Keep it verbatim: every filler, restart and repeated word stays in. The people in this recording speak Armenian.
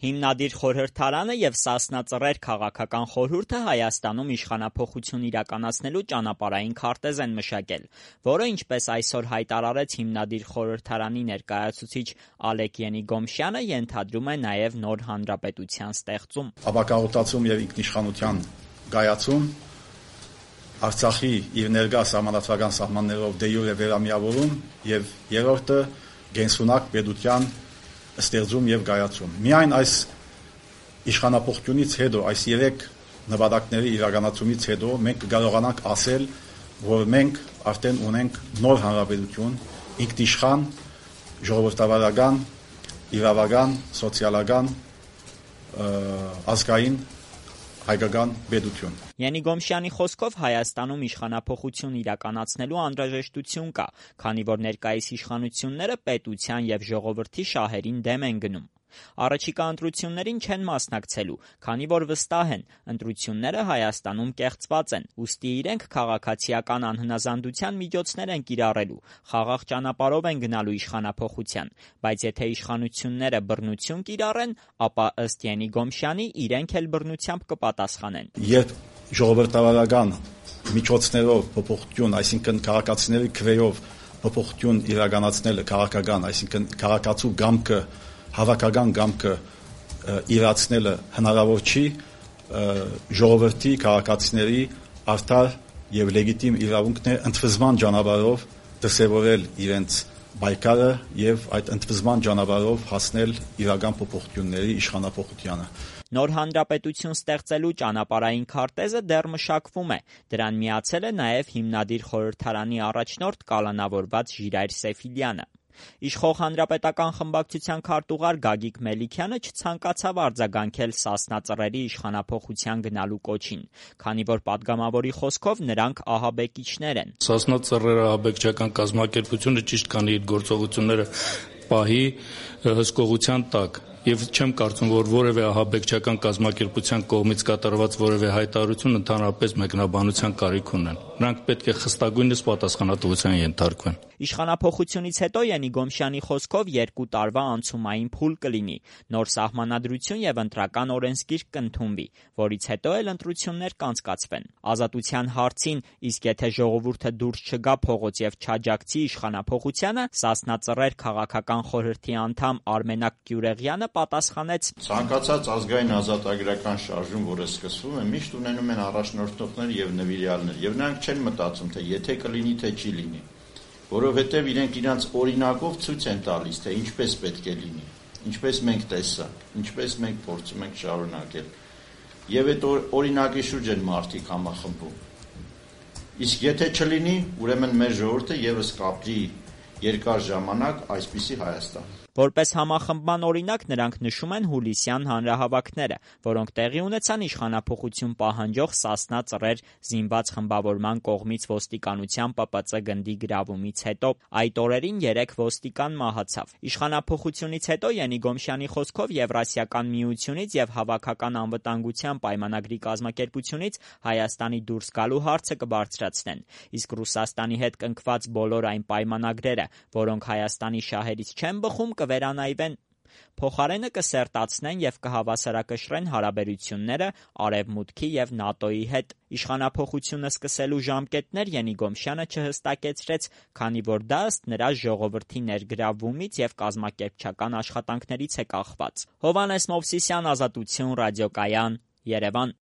Հիմնադիր խորհրդարանը և Սասնա Ծռեր քաղաքական խորհուրդը Հայաստանում իշխանափոխություն իրականացնելու ճանապարհային քարտեզ են մշակել, որը, ինչպես այսօր հայտարարեց հիմնադիր խորհրդարանի ներկայացուցիչ Ալեկ Ենիգոմշյանը, ենթադրում է նաև նոր հանրապետության ստեղծում։ Ապակաղոտացում և ինքնիշխանության կայացում, Արցախի իր ներկա սահմանադրական սահմաններով դե յուրե վերամիավորում և երրորդը գենսունակ պետության ստեղծում և կայացում։ Միայն այս իշխանափոխությունից հետո, այս երեք նպատակների իրականացումից հետո մենք կարողանանք ասել, որ մենք արդեն ունենք նոր հանրապետություն, ինքնիշխան, ժողովրդավարական, իրավական, սոցիալական, ազգային հայկական պետություն։ Ենիգոմշյանի խոսքով Հայաստանում իշխանափոխություն իրականացնելու անհրաժեշտություն կա, քանի որ ներկայիս իշխանությունները պետության և ժողովրդի շահերին դեմ են գնում։ Առաջիկա ընտրություններին չեն մասնակցելու, քանի որ վստահ են, ընտրությունները Հայաստանում կեղծված են, ուստի իրենք քաղաքացիական անհնազանդության միջոցներ են կիրառելու, խաղաղ ճանապարհով են գնալու իշխանափոխության, բայց եթե իշխանությունները բռնություն կիրառեն, ապա ըստ Ենիգոմշյանի իրենք էլ բռնությամբ կպատասխանեն։ Երբ ժողովրդավարական միջոցներով փոփոխություն, այսինքն քաղաքացիների քվեով փոփոխություն իրականացնելը քաղաքական, այսինքն քաղաքացու կամքը, հավաքական կամքը իրացնելը հնարավոր չի, ժողովրդի քաղաքացիների արդար եւ լեգիտիմ իրավունքն է ընդվզման ճանապարհով դրսևորել իրենց պայքարը եւ այդ ընդվզման ճանապարհով հասնել իրական փոփոխությունների իշխանափոխությանը։ Նոր հանրապետություն ստեղծելու ճանապարհային քարտեզը դեռ մշակվում է, դրան միացել է նաև հիմնադիր խորհրդարանի առաջնորդ կալանավորված Ժիրայր Սեֆիլյանը։ Իշխող հանրապետական խմբակցության քարտուղար Գագիկ Մելիքյանը չցանկացավ արձագանքել Սասնա Ծռերի իշխանափոխության գնալու կոչին, քանի որ պատգամավորի խոսքով նրանք ահաբեկիչներ են։ Սասնա Ծռերը ահաբեկչական կազմակերպությունը ճիշտ կանի իր գործողությունները պահի հսկողության տակ։ Եվ չեմ կարծում, որ որևէ ահաբեկչական կազմակերպության կողմից կատարված որևէ հայտարարություն ընդհանրապես մեկնաբանության կարիք ունեն։ Նրանք պետք է խստագույնս պատասխանատվության ենթարկվեն։ Իշխանափոխությունից հետո Ենիգոմշյանի խոսքով երկու տարվա անցումային փուլ կլինի, նոր սահմանադրություն եւ ընտրական օրենսգիր կընդունվի, որից հետո էլ ընտրություններ կանցկացվեն։ Ազատության հարցին, իսկ եթե ժողովուրդը դուրս չգա փողոց եւ չաջակցի իշխանափոխությանը, Սասնա Ծռեր քաղաքական խորհրդի անդամ Արմենակ Գյուրեղյանը պատասխանեց. Ցանկացած ազգային ազատագրական շարժում, որը սկսվում է, միշտ ունենում են առաջնորդողներ եւ նվիրյալներ, եւ նրանք չեն մտածում, թե եթե կլինի, թե չի լինի, որովհետեւ իրենք իրանց օրինակով ցույց են տալիս, թե ինչպես պետք է լինի, ինչպես մենք տեսանք, ինչպես մենք փորձում ենք շարունակել, եւ այդ օրինակի շուրջ են մարդիկ համախմբում։ Իսկ եթե չլինի, ուրեմն մեր ժողովուրդը եւս կապրի երկար ժամանակ այսպիսի Հայաստան։ Որպես համախմբման օրինակ նրանք նշում են հուլիսյան հանրահավաքները, որոնք տեղի ունեցան իշխանափոխություն պահանջող Սասնա Ծռեր զինված խմբավորման կողմից ոստիկանության Պ Պ Ծ գնդի գրավումից հետո։ Այդ օրերին երեք ոստիկան մահացավ։ Իշխանափոխությունից հետո Ենիգոմշյանի խոսքով Եվրասիական միությունից եւ Հավաքական անվտանգության պայմանագրի կազմակերպությունից Հայաստանի դուրս գալու հարցը կբարձրացնեն, իսկ Ռուսաստանի հետ կնքված բոլոր այն պայմանագրերը, որոնք Հայաստանի շահերից չեն բխում, կվերանայվեն։ Փոխարենը կսերտացնեն եւ կհավասարակշռեն հարաբերությունները Արևմուտքի եւ ՆԱՏՕ-ի հետ։ Իշխանափոխությունը սկսելու ժամկետներ Ենիգոմշյանը չհստակեցրեց, քանի որ դա ըստ նրա ժողովրդի ներգրավումից եւ կազմակերպչական աշխատանքներից է կախված։ Հովհաննես Մովսիսյան, Ազատություն, Ռադիոկայան, Երևան։